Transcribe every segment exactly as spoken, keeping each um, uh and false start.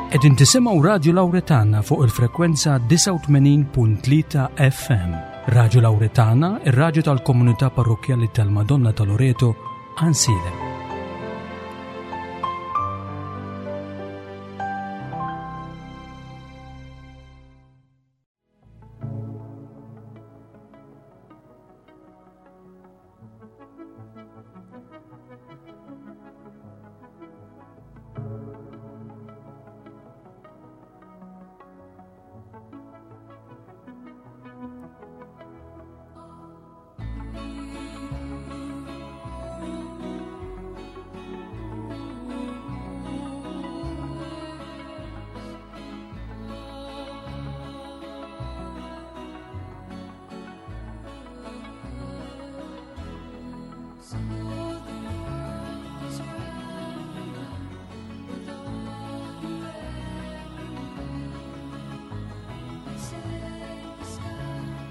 Qegħdin tisimgħu Radio Lauretana fuq il-frekwenza disgħa u tmenin punt tlieta F M. Radio Lauretana, ir-raġu tal-komunità parrokjali tal-Madonna ta' Loreto, Għajnsielem. So the world is round with all you ever knew. They say the sky high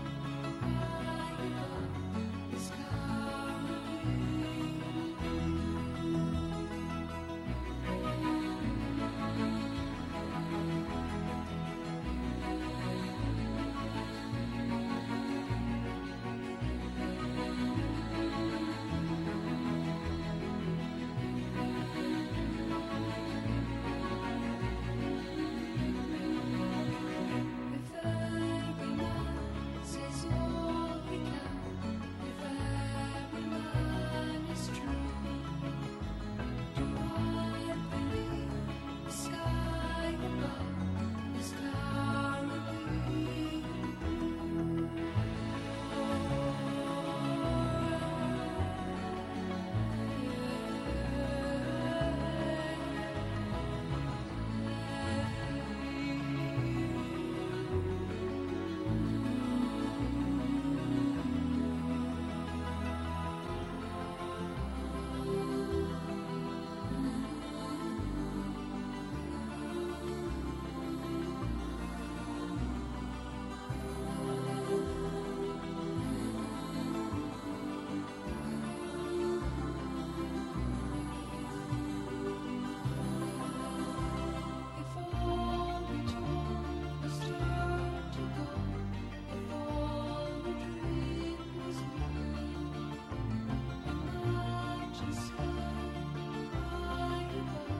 above is currently blue. If every man says all he can, if every man is true, do I believe the sky above is currently blue? If all we took was turned to gold, if all we dreamed was blue, imagine sky high above the currently blue.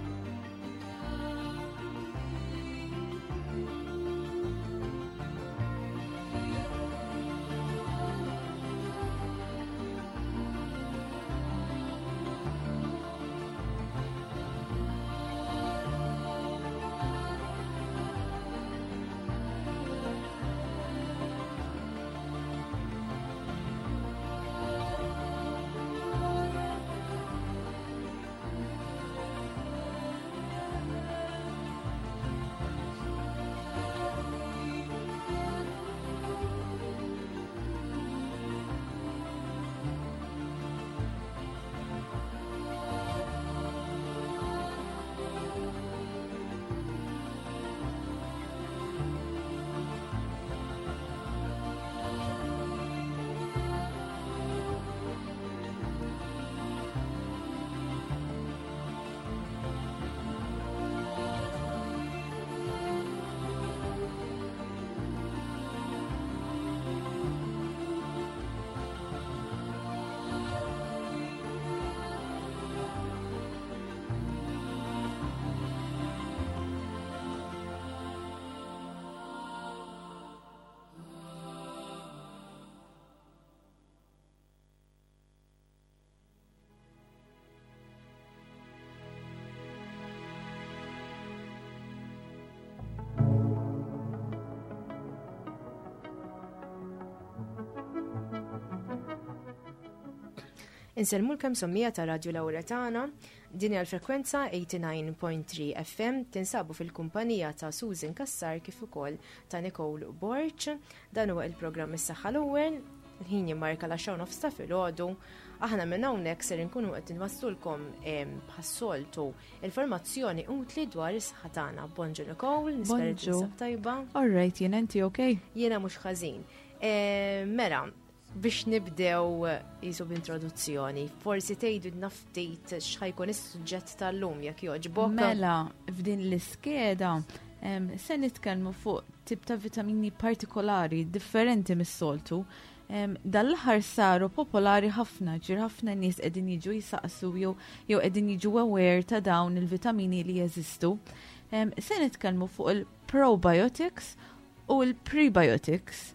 Insellmulkom, semmiegħa ta' Radio Lauretana, din hija l-frekwenza tmienja u tmenin punt tlieta F M, tinsabu fil-kumpanija ta' Susan Kassar kif ukoll ta' Nicole Borch. Dan huwa il-programm Is-Saħħa l-Ewwel, il-ħin jimmarka l-għaxra nofs ta' filgħodu. Aħna minn hawnhekk ser inkunu qed nwasslulkom bħas-soltu informazzjoni utli dwar is-saħħa tagħna. Bonġu Nicole, nispera li Bonġu. tinsab tajba. All right, jiena, inti okay? Jiena mhux ħażin. Mela, Biex nibdew jisu b'introduzzjoni, forsi tgħidu ftit x'ħa jkun is-suġġett tal-lum, jekk jogħġbok. Mela, f'din l-iskeda se nitkellmu fuq tip ta' vitamini partikolari differenti mis-soltu. Dal-aħħar saru popolari ħafna, ġir ħafna nies qegħdin jiġu jisaqsu jew jew qegħdin jiġu aware ta' dawn il-vitamini li jeżistu. Se nitkellmu fuq il-probiotics u l-prebiotics.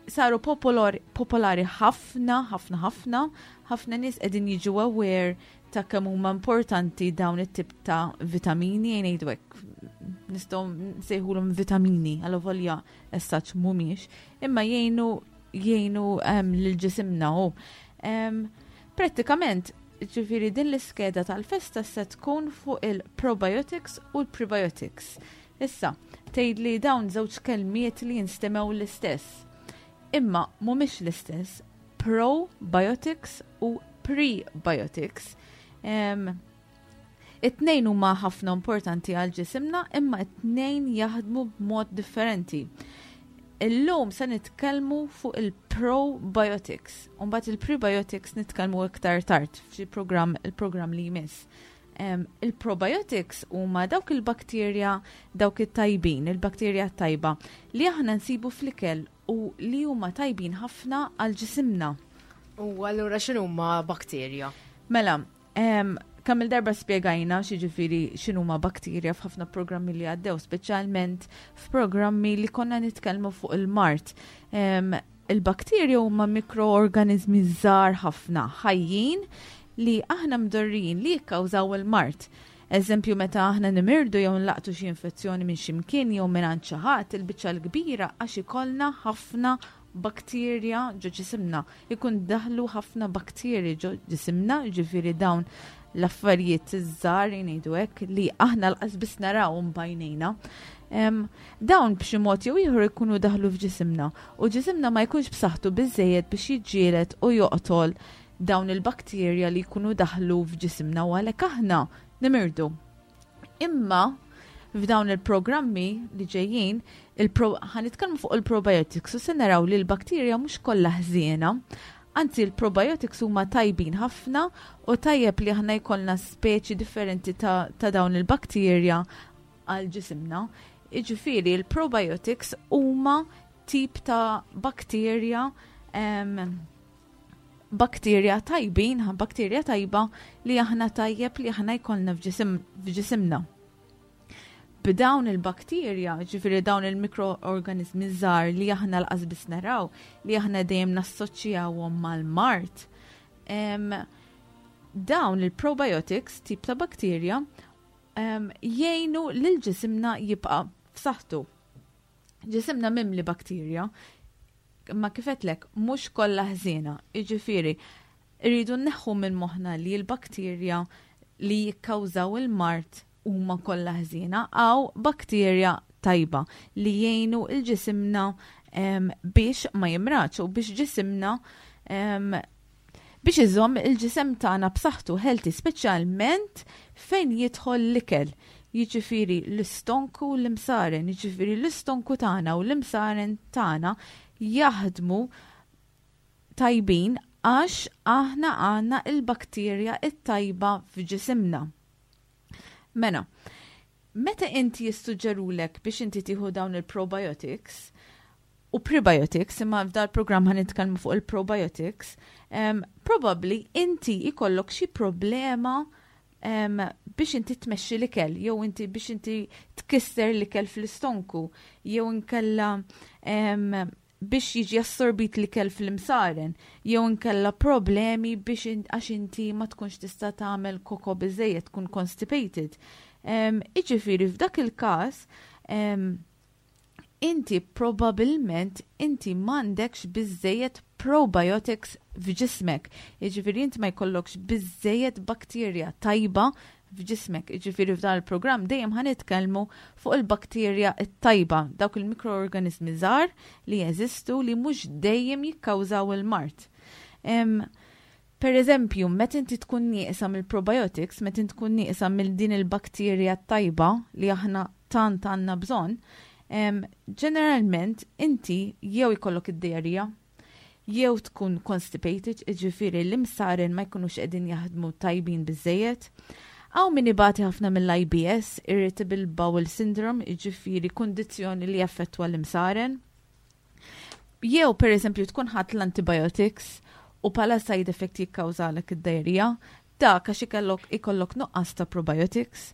Saru popolari ħafna, ħafna, ħafna, ħafna nies qegħdin jiġu aware ta' kemm huma importanti dawn it-tip ta' vitamini, ngħidu hekk, nistgħu nsejħulhom vitamini, għal as such mhumiex, imma jgħinu jgħinu um, lil ġisimna u um, prattikament, ġifieri, din l-iskeda tal-festa se tkun fuq il-probiotics u l-prebiotics. Issa, tgħid li dawn żewġ kelmiet li jinstemgħu l-istess. Imma mhumiex l-istess. Probiotics u prebiotics. Um, It-tnejn huma ħafna importanti għal ġisimna, imma it-tnejn jaħdmu b'mod differenti. Illum se nitkellmu fuq il-probiotics. Umbagħad il-prebiotics nitkellmu iktar tard f'xi programm, il-programm li jmiss. Um, il-probiotics huma dawk il-bakterja, dawk it-tajbin, il-bakterja tajba li aħna nsibu fl-ikel u li huma tajbin ħafna għal ġisimna. U allura x'inhuma bakterja? Mela, um, kemm il-darba spjegajna x'jiġifieri, x'inhuma bakterja f'ħafna programmi li għaddew, speċjalment f'programmi li konna nitkellmu fuq il-mard. Um, il-bakterja huma mikroorganizmi żgħar ħafna, ħajjin, li aħna mdorrijin li jikkawżaw il-mard. Eżempju, meta aħna nimirdu jew nlaqtu xi infezzjoni minn ximkien jew minn għand xi ħadd, il-biċċa l-kbira għax ikollna ħafna bakterja ġo ġisimna. Ikun daħlu ħafna bakterji ġo ġisimna, ġifieri dawn l-affarijiet iż-żgħar, ngħidu hekk, li aħna lanqas biss narawhom b'għajnejna. Dawn b'xi mod jew ieħor ikunu daħlu f'ġisimna u ġisimna ma jkunx b'saħħtu biżejjed biex jiġġieled u joqtol dawn il-bakterja li jkunu daħlu f'ġisimna u għalhekk aħna nimirdu. Imma f'dawn il-programmi li ġejjin ħa nitkellmu fuq il-probiotics u se naraw li l-bakterja mhux kollha ħżiena. Anzi, il-probiotics huma tajbin ħafna u tajjeb li aħna jkollna speċi differenti ta', ta dawn il-bakterja għal ġisimna. Iġifieri, il-probiotics huma tip ta' bakterja um, bakterja tajbin, bakterja tajba li aħna tajjeb li aħna jkollna f'ġisimna. B'dawn il-bakterja, ġifieri dawn il-mikroorganizmi żgħar li aħna lanqas biss naraw, li aħna dejjem nassoċjawhom mal-mard. Dawn il-probiotics, tip ta' bakterja, jgħinu lil ġisimna jibqa' f'saħħtu. Ġisimna mimli bakterja, ma kif għedtlek, mhux kollha ħżiena, jiġifieri, irridu nneħħu minn moħħna li l-bakterja li jikkawżaw il-mard huma kollha ħżiena. Hawn bakterja tajba li jgħinu lil ġisimna biex ma jimradx u biex ġisimna biex iżomm il-ġisem tagħna b'saħħtu, healthy, speċjalment fejn jidħol l-ikel. Jiġifieri l-istonku u l-imsaren, jiġifieri l-istonku tagħna u l-imsaren tagħna jaħdmu tajbin għax aħna għandna il-bakterja it-tajba f'ġisimna. Mela, meta inti jissuġġerulek biex inti tieħu dawn il-probiotics u prebiotics, imma f'dal program ħa nitkellmu fuq il-probiotics, um, probably inti ikollok xi problema um, biex inti tmexxi l-ikel, jew inti biex inti tkisser l-ikel fl-istonku, jew inkella um, biex jiġi assorbit l-ikel fl-imsaren, jew inkella problemi biex għax inti ma tkunx tista' tagħmel koko biżejjed, tkun constipated. Um, Iġifieri f'dak il-każ um, inti probabilment inti m'għandekx biżejjed probiotics f'ġismek. Jiġifieri inti ma jkollokx biżejjed bakterja tajba f'ġismek. Jiġifieri f'dan il-programm dejjem ħa nitkellmu fuq il-bakterja t-tajba, dawk il-mikroorganizmi żgħar li jeżistu li mhux dejjem jikkawżaw il-mard. Per eżempju, meta inti tkun nieqsa mill-probiotics, meta inti tkun nieqsa mill din il-bakterja tajba li aħna tant għandna bżonn, ġeneralment inti jew ikollok id-diarrhea, Jew tkun constipated, ġifieri l-imsaren ma jkunux qegħdin jaħdmu tajbin biżejjed. Hawn min ibati ħafna mill-I B S, Irritable Bowel Syndrome, ġifieri kundizzjoni li jaffettwa l-imsaren. Jew per eżempju tkun ħadt l-antibiotics u bħala side effect jikkawżalek id-diarrhea, dak għax ikollok ikollok nuqqas ta' probiotics.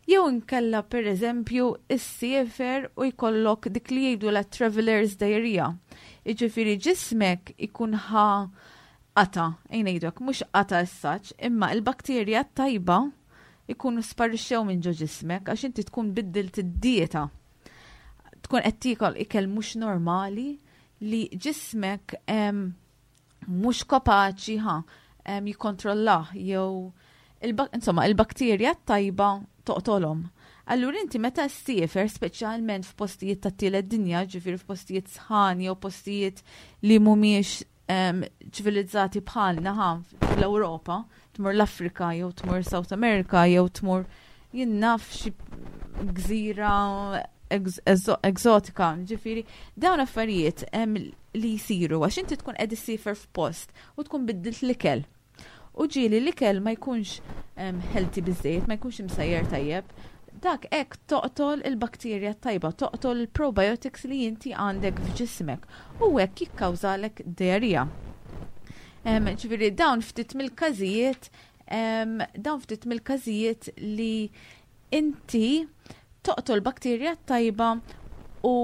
Jew inkella per eżempju issiefer u jkollok dik li jgħidu la traveler's diarrhea. Jiġifieri ġismek ikun ħa qata, ngħidu mhux qata s-saċ, imma il-bakterja tajba ikunu sparixxew minn ġo ġismek għax inti tkun biddilt id-dieta. Tkun qed tiekol ikel mhux normali li ġismek mhux kapaċi ħa jikkontrollah jew insomma il-bakterja tajba toqtolhom. Allura inti meta ssiefer, speċjalment f'postijiet ta' tielet dinja, ġifieri f'postijiet sħan jew postijiet li mhumiex ċivilizzati bħalna ħa fl-Ewropa, tmur l-Afrika jew tmur South America jew tmur jien naf xi gżira egzotika, ġifieri dawn affarijiet li jisiru għax inti tkun qed issiefer f'post u tkun biddilt l-ikel. U ġieli l-ikel ma jkunx healthy biżejjed, ma jkunx imsajjer tajjeb. Dak hekk toqtol il-bakterja tajba, toqtol il-probiotics li inti għandek f'ġismek u hekk jikkawżalek diarrhea. Ġifieri dawn ftit mill-każijiet, dawn ftit mill-każijiet li inti toqtol bakterja tajba u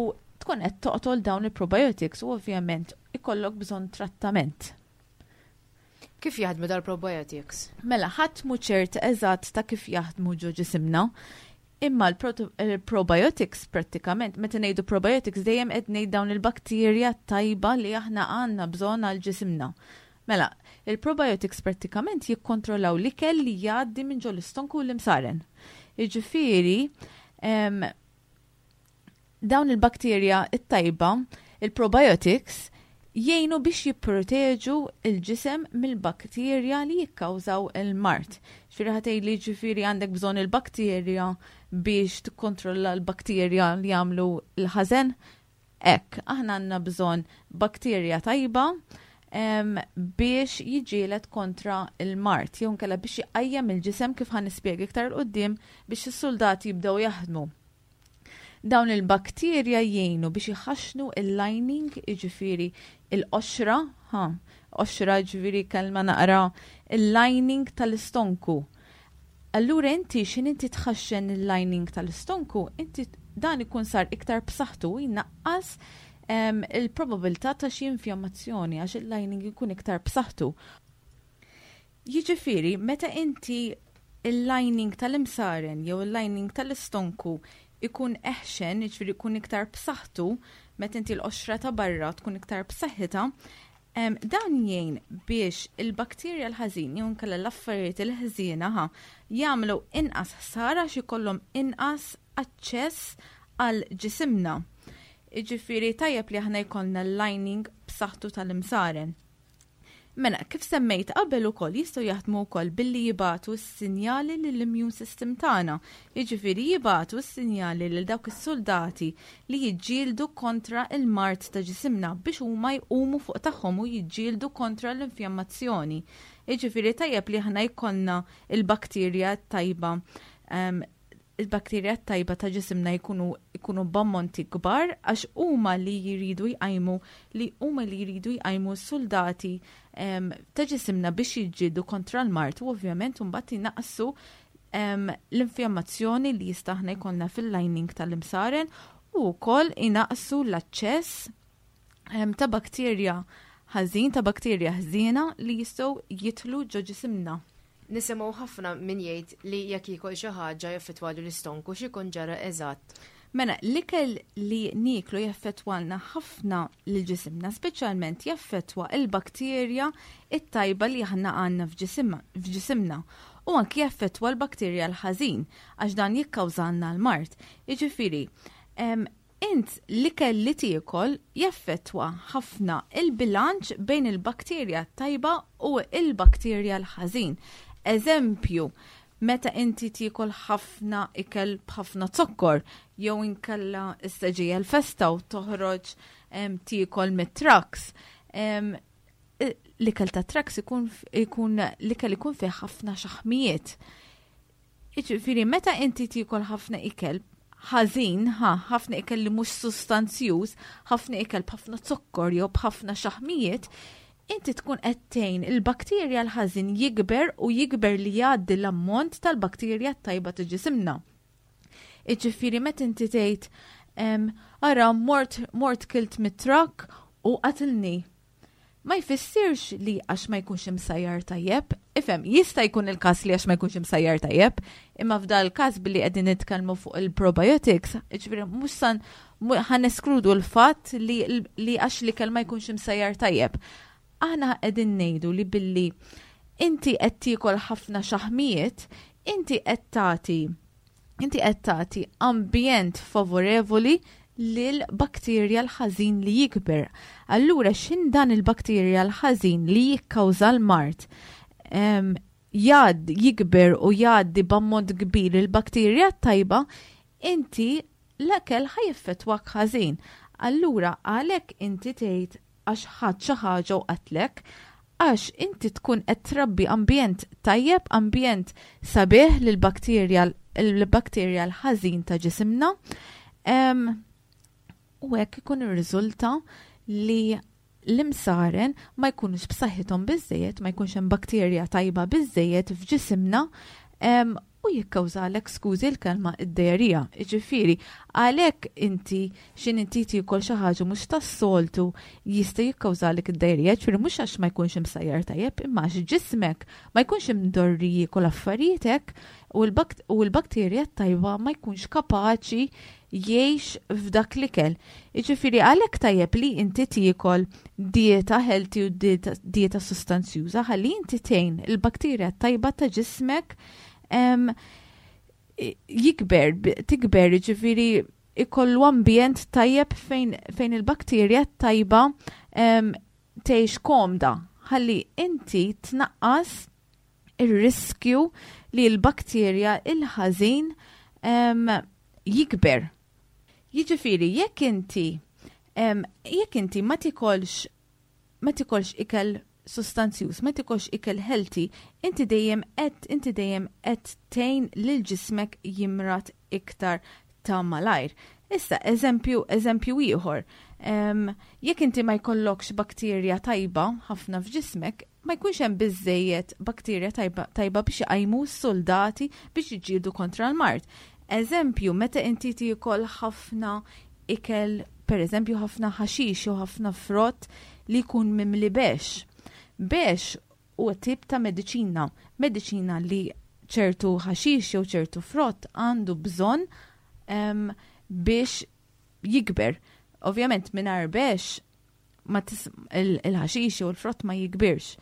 tkun qed toqtol dawn il-probiotics u ovvjament ikollok bżonn trattament. Kif jaħdmu dal-probiotics? Mela, ħadd mhu ċert eżatt ta' kif jaħdmu ġo ġisimna. Imma l-probiotics prattikament, meta ngħidu probiotics dejjem qed ngħid dawn il-bakterja tajba li aħna għandna bżonn għal ġisimna. Mela, il-probiotics prattikament jikkontrollaw l-ikel li jgħaddi minn ġo l-istonku u l-imsaren. Jiġifieri, dawn il-bakterja it-tajba, il-probiotics, jgħinu biex jipproteġu il-ġisem mill-bakterja li jikkawżaw il-mard. Ġifieri ħa tgħidli, ġifieri għandek bżonn il-bakterja biex tikkontrolla l-bakterja li jagħmlu l-ħażen? Hekk, aħna għandna bżonn bakterja tajba em, biex jiġġieled kontra il-mard, jew nkella biex jqajjem il-ġisem, kif ħa nispjega iktar 'il quddiem, biex is-soldati jibdew jaħdmu. Dawn il-bakterja jgħinu biex iħaxnu il-lining, jiġifieri il-qoxra, ha, qoxra ġifieri kelma naqra, il-lining tal-istonku. Allura inti xin inti tħaxxen il-lining tal-istonku, inti dan ikun sar iktar b'saħħtu, jnaqqas em, il-probabilità ta' xi infjammazzjoni għax il-lining ikun iktar b'saħħtu. Jiġifieri, meta inti il-lining tal-imsaren jew il-lining tal-istonku ikun eħxen, jiġifieri ikun iktar b'saħħtu, meta inti l-qoxra ta' barra tkun iktar b'saħħitha, em, dan jgħin biex il-bakterja l-ħażin jew inkella l-affarijiet il-ħżiena ħa jagħmlu inqas ħsara xi jkollhom inqas aċċess għal ġisimna. Jiġifieri tajjeb li aħna jkollna l-lining b'saħħtu tal-imsaren. Mela, kif semmejt qabel ukoll, jistgħu jaħdmu wkoll billi jibagħtu s-sinjali lill-immune system tagħna. Jiġifieri jibagħtu s-sinjali lil dawk is-soldati li jiġġieldu kontra il-mard ta' ġisimna biex huma jqumu fuq tagħhom u jiġġieldu kontra l-infjammazzjoni. Jiġifieri tajjeb li aħna jkollna il-bakterja tajba um, il-bakterja tajba ta' ġisimna jkunu jkunu b'ammonti kbar għax huma li jridu jqajmu li huma li jridu jqajmu s-soldati em, ta' ġisimna biex jiġġieldu kontra l-mard u ovvjament mbagħad jnaqqsu em, l-infjammazzjoni li jista' aħna jkollna fil-lining tal-imsaren u wkoll inaqqsu l-aċċess em, ta' bakterja ħażin ta' bakterja ħżiena li jistgħu jidħlu ġo ġisimna. Nisimgħu ħafna min jgħid li jekk jiekol xi ħaġa jaffettwalu l-istonku. X'ikun ġara eżatt? Mela, l-ikel li nieklu jaffettwalna ħafna lil ġisimna, speċjalment jaffettwa il-bakterja it-tajba li aħna għandna f'ġisimna. U anki jaffettwa l-bakterja l-ħażin, għax dan jikkawżalna l-mard. Jiġifieri, em, int l-ikel li tiekol jaffettwa ħafna il-bilanċ bejn il-bakterja tajba u il-bakterja l-ħażin. Eżempju, meta inti tiekol ħafna ikel b'ħafna zokkor, jew inkella issa ġejja l-festa u toħroġ em, tiekol mit-trucks, em, L-ikel ta' trucks ikun ikun l-ikel ikun fih ħafna xaħmijiet. Jiġifieri meta inti tiekol ħafna ikel ħażin, ha, ħafna ikel li mhux sustanzjuż, ħafna ikel b'ħafna zokkor jew b'ħafna xaħmijiet, inti tkun qed tgħin il-bakterja l-ħażin jikber u jikber li jgħaddi l-ammont tal-bakterja tajba ta' ġisimna. Iġifieri meta inti tgħid ara mort mort kilt mit-truck u qatilni. Ma jfissirx li għax ma jkunx imsajjar tajjeb, ifhem, jista' jkun il-każ li għax ma jkunx imsajjar tajjeb, imma f'dal każ billi qegħdin nitkellmu fuq il-probiotics, ġifieri mhux san ħa neskludu l-fatt li, li għax l-ikel ma jkunx imsajjar tajjeb. Aħna qegħdin ngħidu li billi inti qed tiekol ħafna xaħmijiet, inti qed tagħti inti qed tagħti ambjent favorevoli lil bakterja l-ħażin li jikber. Allura x'in dan il-bakterja l-ħażin li jikkawża l-mard jgħad jikber u jgħaddi b'ammont kbir il-bakterja tajba, inti l-ekel ħa jeffettwak ħażin. Allura għalhekk inti tgħid għax ħadd xi ħaġa u qatlek, għax inti tkun qed trabbi ambjent tajjeb, ambjent sabiħ lil bakterja l-bakterja l-ħażin ta' ġisimna. U hekk ikun irriżulta li l-imsaren ma jkunux b'saħħithom biżejjed, ma jkunx hemm bakterja tajba biżejjed f'ġisimna u jikkawżalek, skużi l-kelma, id-diarrhea. Ġifieri, għalhekk inti x'in inti tiekol xi ħaġa mhux tas-soltu jista' jikkawżalek id-diarrhea, ġifieri mhux għax ma jkunx imsajjar tajjeb, imma għax ġismek ma jkunx imdorri jiekol affarijiet hekk u l-bakterja tajba ma jkunx kapaċi jgħix f'dak l-ikel. Jiġifieri għalhekk tajjeb li inti tiekol dieta healthy u dieta sustanzjuża ħalli inti tgħin il-bakterja tajba ta' ġismek jikber, tikber, ġifieri ikollu ambjent tajjeb fejn, fejn il-bakterja tajba tgħix komda. Ħalli inti tnaqqas ir-riskju li l-bakterja il-ħażin jikber. Jiġifieri jekk inti jekk inti ma tikolx ma tikolx ikel sustanzjuż, ma tikolx ikel healthy, inti dejjem qed inti dejjem qed tgħin lil ġismek jimrad iktar ta' malajr. Issa, eżempju, eżempju ieħor. Jekk inti ma jkollokx bakterja tajba ħafna f'ġismek, ma jkunx hemm biżejjed bakterja tajba, tajba biex iqajmu s-soldati biex jiġġieldu kontra l-mard. Eżempju, meta inti tiekol ħafna ikel, per eżempju ħafna ħaxix jew ħafna frott li jkun mimli bex. Bex huwa tip ta' mediċina, mediċina li ċertu ħaxix jew ċertu frott għandu bżonn biex jikber. Ovvjament mingħajr bex ma il-ħaxix jew il-frott ma jikbirx.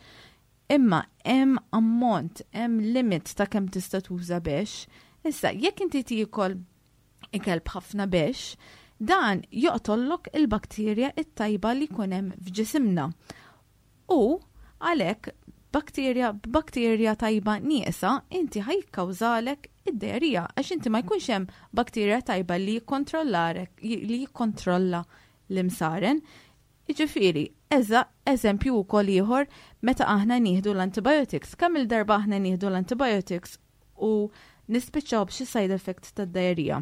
Imma hemm ammont, hemm limit ta' kemm tista' tuża bex. Issa, jekk inti tiekol ikel b'ħafna bex, dan joqtollok il-bakterja it-tajba li jkun hemm f'ġisimna. U għalhekk bakterja b'bakterja tajba nieqsa inti ħa jikkawżalek id-diarrhea għax inti ma jkunx hemm bakterja tajba li jikkontrollarek li jikkontrolla l-imsaren. Jiġifieri, eża eżempju wkoll ieħor meta aħna nieħdu l-antibiotics. Kemm il-darba aħna nieħdu l-antibiotics u nispiċċaw b'xi side effect tad-diarrhea.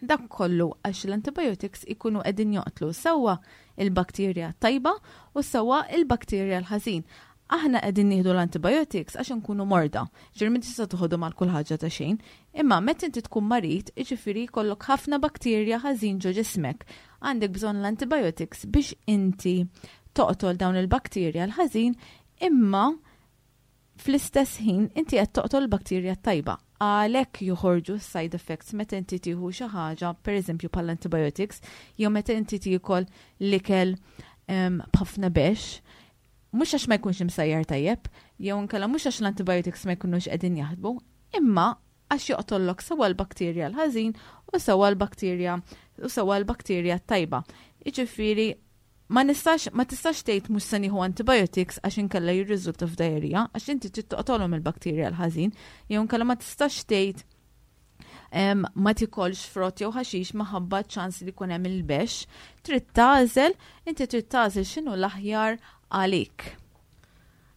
Dak kollu għax l-antibiotics ikunu qegħdin joqtlu sewwa il-bakterja tajba u sewwa il-bakterja l-ħażin. Aħna qegħdin nieħdu l-antibiotics għax nkunu morda. Ġifieri ma tista' toħodhom għal kull ħaġa ta' xejn, imma meta inti tkun marid, jiġifieri jkollok ħafna bakterja ħażin ġo ġismek. Għandek bżonn l-antibiotics biex inti toqtol dawn il-bakterja l-ħażin, imma fl-istess ħin inti qed toqtol il-bakterja tajba. Għalhekk joħorġu side effects meta inti tieħu xi ħaġa, pereżempju bħal antibiotics, jew meta inti tiekol l-ikel b'ħafna bex, mhux għax ma jkunx imsajjar tajjeb, jew inkella mhux għax l-antibiotics ma jkunux qegħdin jaħdmu, imma għax joqtollok sewwa l-bakterja l-ħażin u sewwa l-bakterja u sewwa l-bakterja tajba. Jiġifieri ma nistax, ma tistax tgħid mhux se nieħu antibiotics għax inkella jirriżulta f'diarrhea, għax inti trid toqtolhom il-bakterja l-ħażin, jew inkella ma tistax tgħid em, ma tikolx frott jew ħaxix minħabba ċans li jkun hemm il-bex, trid tagħżel, inti trid tagħżel x'inhu l-aħjar għalik.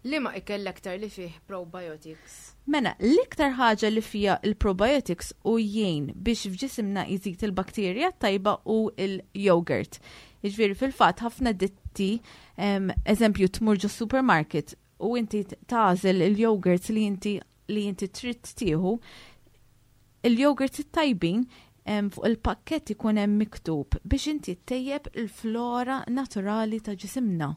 Liema ikel l-aktar li fih probiotics? Mela, l-iktar ħaġa li fija il-probiotics u jgħin biex f'ġisimna jżid il-bakterja tajba hu il-yogurt. Jiġifieri fil-fatt ħafna ditti, em, eżempju, tmur ġo supermarket u inti tagħżel il-yogurt li inti li inti trid tieħu, il-yogurt it-tajbin em, fuq il-pakket ikun hemm miktub biex inti ttejjeb il-flora naturali ta' ġisimna.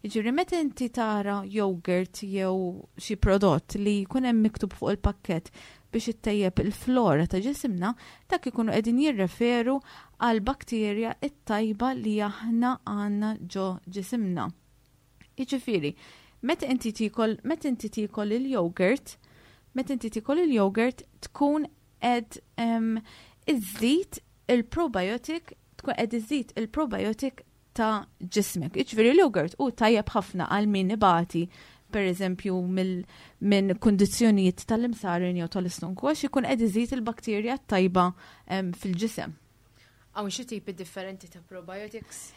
Jiġifieri meta inti tara yogurt jew xi prodott li jkun hemm miktub fuq il-pakket biex ittejjeb il-flora ta' ġisimna, dak ikunu qegħdin jirreferu għal bakterja it-tajba li aħna għandna ġo ġisimna. Jiġifieri, meta inti tikol meta inti tikol il-yogurt, meta inti tikol il-yogurt tkun qed em, iżżid il-probiotic, tkun qed iżżid il-probiotic ta' ġismek. Jiġifieri l-yogurt hu tajjeb ħafna għal min ibati, per eżempju, minn kundizzjonijiet tal-imsaren jew tal-istonku, għax ikun qed iżid il-bakterja tajba em, fil-ġisem. Hawn xi tipi differenti ta' probiotics?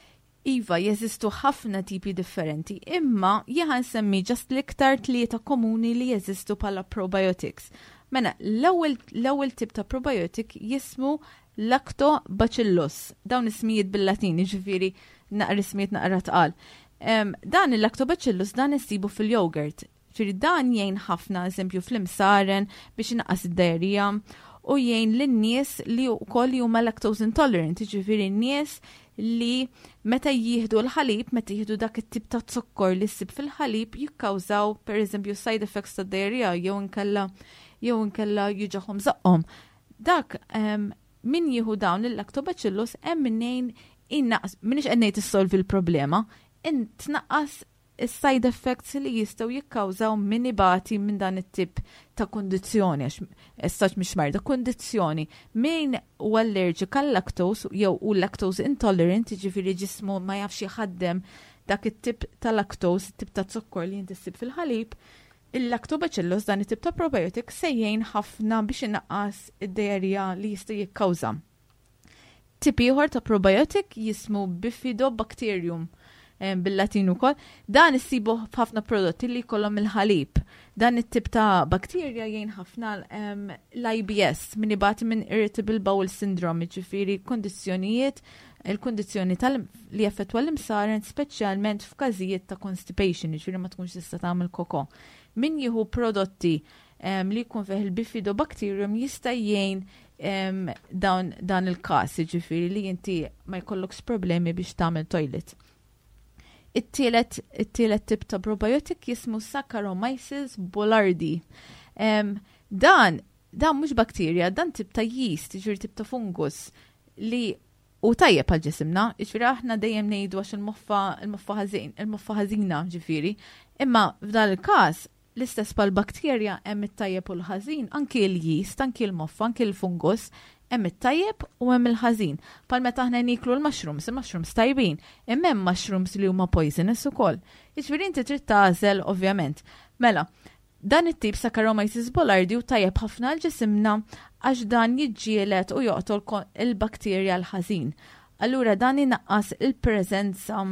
Iva, jeżistu ħafna tipi differenti, imma jien nsemmi just l-iktar tlieta komuni li jeżistu bħala probiotics. Mela, l-ewwel l-ewwel tip ta' probiotic jismu Lactobacillus. Dawn ismijiet bil-Latin, jiġifieri naqra ismijiet naqra tqal. Em, dan il-Lactobacillus dan insibu fil-yogurt. Ġifieri dan jgħin ħafna, eżempju, fl-imsaren biex inaqqas id-diarrhea u jgħin lin-nies li wkoll huma lactose intolerant, jiġifieri n-nies li meta jieħdu l-ħalib, meta jieħdu dak it-tip ta' zokkor li ssib fil-ħalib, jikkawżaw per eżempju side effects ta' diarrhea jew inkella jew inkella juġagħhom żaqqhom. Dak em, min jieħu dawn il-lactobacillus hemm minnejn innaqs, m'iniex qed ngħid issolvi l-problema, in tnaqqas is-side effects li jistgħu jikkawżaw min ibati minn dan it-tip ta' kondizzjoni, għax essaċ mhix marda, kondizzjoni. Min hu allergic għal lactose jew u lactose intolerant, jiġifieri ġismu ma jafx jħaddem dak it-tip ta' lactose, tip ta' zokkor li inti ssib fil-ħalib, il-lactobacillus, dan it-tip ta' probiotic, se jgħin ħafna biex inaqqas id-diarrhea li jista' jikkawża. Tip ieħor ta' probiotic jismu Bifidobacterium em, bil-Latin ukoll. Dan issibu f'ħafna prodotti li jkollhom il-ħalib. Dan it-tip ta' bakterja jgħin ħafna em, l-I B S, min ibati minn Irritable Bowel Syndrome, jiġifieri kondizzjonijiet il-kondizzjoni tal li jaffettwa l-imsaren, speċjalment f'każijiet ta' constipation, jiġifieri ma tkunx tista' tagħmel koko. Min jieħu prodotti em, li jkun fih il-Bifidobacterium jista' jgħin em, dan, dan il-każ, jiġifieri li inti ma jkollokx problemi biex tagħmel toilet. It-tielet it-tielet tip ta' probiotic jismu Saccharomyces boulardii. Em, dan dan mhux bakterja, dan tip ta' yeast, jiġifieri tip ta' fungus li hu tajjeb għal ġisimna, jiġifieri aħna dejjem ngħidu għax il-moffa il-moffa ħażin, il-moffa ħażina ġifieri. Imma f'dan il-każ, l-istess bħal bakterja hemm it-tajjeb u l-ħażin, anki l-yeast, anki l-moffa, anki l-fungus, hemm it-tajjeb u hemm il-ħażin. Bħal meta aħna niklu l-mushrooms, il-mushrooms tajbin, imma hemm mushrooms li huma poisonous ukoll. Jiġifieri inti trid tagħżel, ovvjament. Mela, dan it-tip Saccharomyces boulardii hu tajjeb ħafna għal ġisimna għax dan jiġġieled u joqtol ko- il-bakterja l-ħażin. Allura dan inaqqas il-preżenza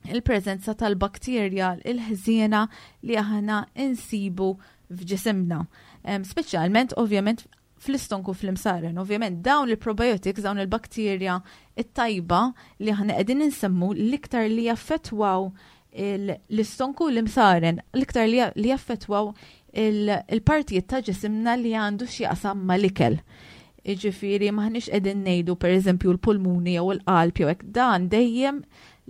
il-preżenza tal-bakterja il-ħżiena li aħna insibu f'ġisimna. Em, Speċjalment, ovvjament, fl-istonku, fl-imsaren. Ovvjament, dawn il-probiotics, dawn il-bakterja it-tajba li aħna qegħdin insemmu, l-iktar li jaffettwaw il- l-istonku, l-imsaren, l-iktar li li jaffettwaw il- il-partijiet ta' ġisimna li għandu x'jaqsam mal-ikel. Iġifieri m'aħniex qegħdin ngħidu, per eżempju, l-pulmuni jew il-qalb jew hekk, dan dejjem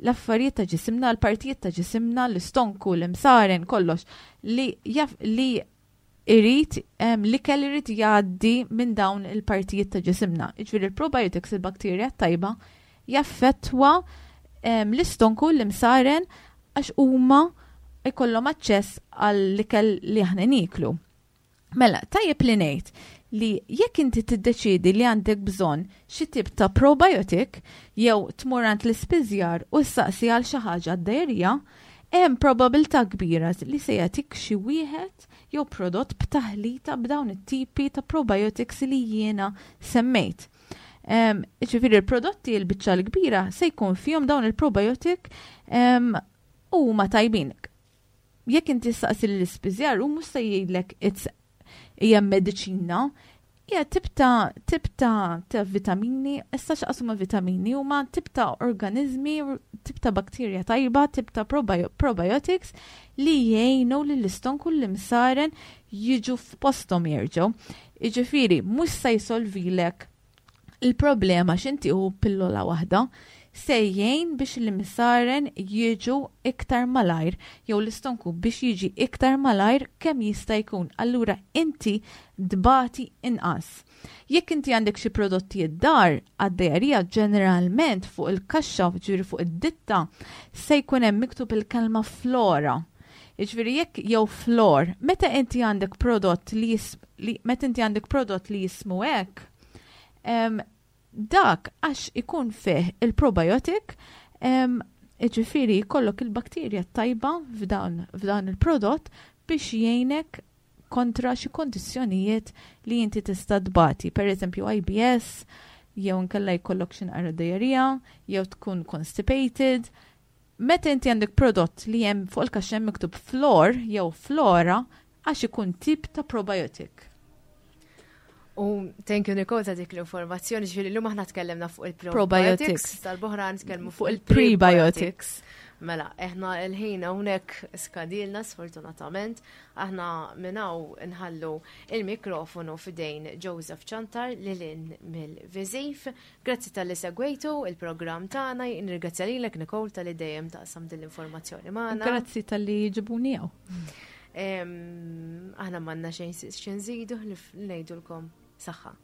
l-affarijiet ta' ġisimna, l-partijiet ta' ġisimna, l-istonku, l-imsaren, kollox li jaf li irid em, l-ikel irid jgħaddi minn dawn il-partijiet ta' ġisimna. Jiġifieri il-probiotics, il-bakterja tajba, jaffettwa em, l-istonku, l-imsaren, għax huma jkollhom aċċess għall-ikel li aħna niklu. Mela, tajjeb li ngħid li jekk inti tiddeċidi li għandek bżonn xi tip ta' probiotic jew tmur għand l-ispiżjar u ssaqsi għal xi ħaġa għad-diarrhea, hemm probabilità kbira li se jagħtik xi wieħed jew prodott b'taħlita b'dawn it-tipi ta' probiotics li jiena semmejt. Em, Ġifieri il-prodotti l-biċċa l-kbira se jkun fihom dawn il-probiotic em, u huma tajbin. Jekk inti saqsi l-ispiżjar, u mhux se jgħidlek it's hija mediċina, hija tip ta' tip ta' ta' vitamini, issa x'qasuma vitamini huma tip ta' organizmi, tip ta' bakterja tajba, tip ta' probio probiotics li jgħinu lill-istonku, l-imsaren jiġu f'posthom jerġgħu. Jiġifieri, mhux se jsolvilek il-problema x'inti u pillola waħda, se jgħin biex l-imsaren jiġu iktar malajr jew l-istonku biex jiġi iktar malajr kemm jista' jkun. Allura inti tbati inqas. Jekk inti għandek xi prodotti id-dar għad-diarrhea, ġeneralment fuq il-kaxxa, ġifieri fuq id-ditta, se jkun hemm miktub il-kelma flora. Jiġifieri jekk jew flor, meta inti għandek prodott li, jis, li meta inti għandek prodott li jismu hekk, em, dak għax ikun fih il-probiotic, em, ġifieri jkollok il-bakterja tajba f'dan, f'dan il-prodott biex jgħinek kontra xi kondizzjonijiet li inti tista' tbati. Per eżempju I B S, jew nkella jkollok xi naqra diarrhea, jew tkun constipated. Meta inti għandek prodott li hemm fuq il-kaxxa hemm miktub flor jew flora, għax ikun tip ta' probiotic. U thank you, Nicole, ta' dik l-informazzjoni, ġifieri llum aħna tkellimna fuq il-probiotics, Probiotics. tal-boħra nitkellmu fuq il-prebiotics. Mela, eħna il-ħin hawnhekk skadilna sfortunatament, aħna minn hawn nħallu il-mikrofonu f'idejn Joseph Ciantar lil hinn mill-Viżiv. Grazzi talli segwejtu il-programm tagħna, nirringrazzja lilek, Nicole, talli dejjem taqsam din l-informazzjoni magħna. Grazzi talli ġibuni hawn. Em, Aħna m'għandna xejn xi nżidu li ngħidulkom saħħa.